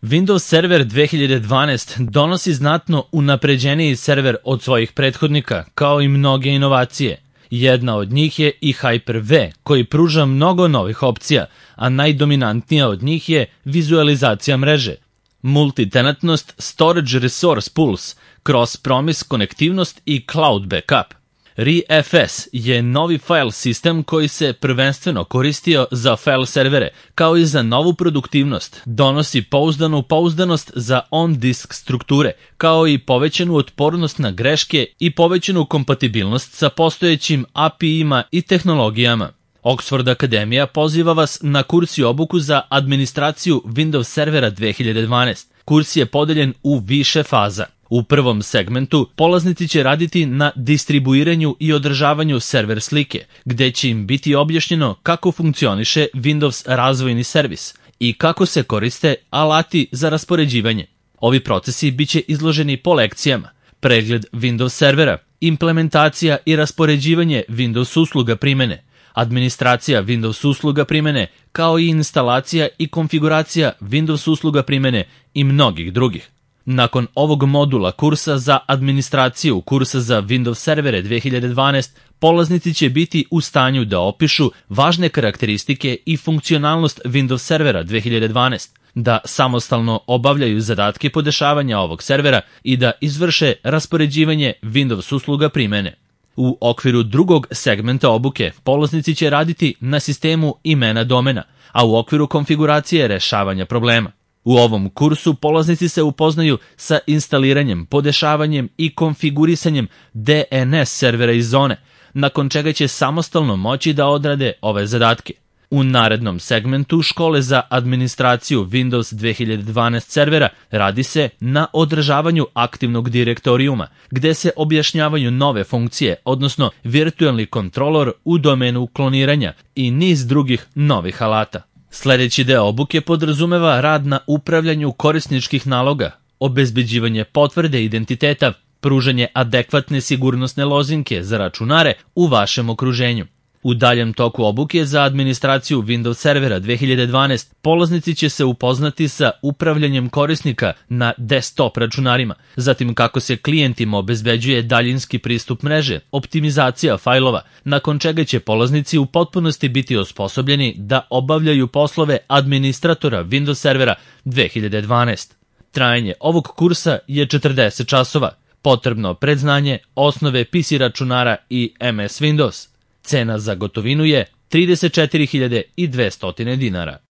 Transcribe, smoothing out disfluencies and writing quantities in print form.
Windows Server 2012 donosi znatno unapređeniji server od svojih prethodnika, kao i mnoge inovacije. Jedna od njih je i Hyper-V, koji pruža mnogo novih opcija, a najdominantnija od njih je vizualizacija mreže, multitenantnost, storage resource pools, cross-promise konektivnost i cloud backup. ReFS je novi file sistem koji se prvenstveno koristio za file servere, kao i za novu produktivnost. Donosi pouzdanost za on-disk strukture, kao i povećanu otpornost na greške i povećanu kompatibilnost sa postojećim API-ima i tehnologijama. Oxford Akademija poziva vas na kurs i obuku za administraciju Windows Servera 2012. Kurs je podeljen u više faza. U prvom segmentu polaznici će raditi na distribuiranju i održavanju server slike, gde će im biti objašnjeno kako funkcioniše Windows razvojni servis i kako se koriste alati za raspoređivanje. Ovi procesi biće izloženi po lekcijama: pregled Windows servera, implementacija i raspoređivanje Windows usluga primene, administracija Windows usluga primene, kao i instalacija i konfiguracija Windows usluga primene i mnogih drugih. Nakon ovog modula kursa za administraciju kursa za Windows servere 2012, polaznici će biti u stanju da opišu važne karakteristike i funkcionalnost Windows servera 2012, da samostalno obavljaju zadatke podešavanja ovog servera i da izvrše raspoređivanje Windows usluga primene. U okviru drugog segmenta obuke polaznici će raditi na sistemu imena domena, a u okviru konfiguracije rešavanja problema. U ovom kursu polaznici se upoznaju sa instaliranjem, podešavanjem i konfigurisanjem DNS servera iz zone, nakon čega će samostalno moći da odrade ove zadatke. U narednom segmentu škole za administraciju Windows 2012 servera radi se na održavanju aktivnog direktorijuma, gde se objašnjavaju nove funkcije, odnosno virtualni kontrolor u domenu kloniranja i niz drugih novih alata. Sljedeći deo obuke podrazumeva rad na upravljanju korisničkih naloga, obezbeđivanje potvrde identiteta, pružanje adekvatne sigurnosne lozinke za računare u vašem okruženju. U daljem toku obuke za administraciju Windows servera 2012 polaznici će se upoznati sa upravljanjem korisnika na desktop računarima, zatim kako se klijentima obezbeđuje daljinski pristup mreže, optimizacija fajlova, nakon čega će polaznici u potpunosti biti osposobljeni da obavljaju poslove administratora Windows servera 2012. Trajanje ovog kursa je 40 časova, potrebno predznanje, osnove PC računara i MS Windows. Cena za gotovinu je $34.200.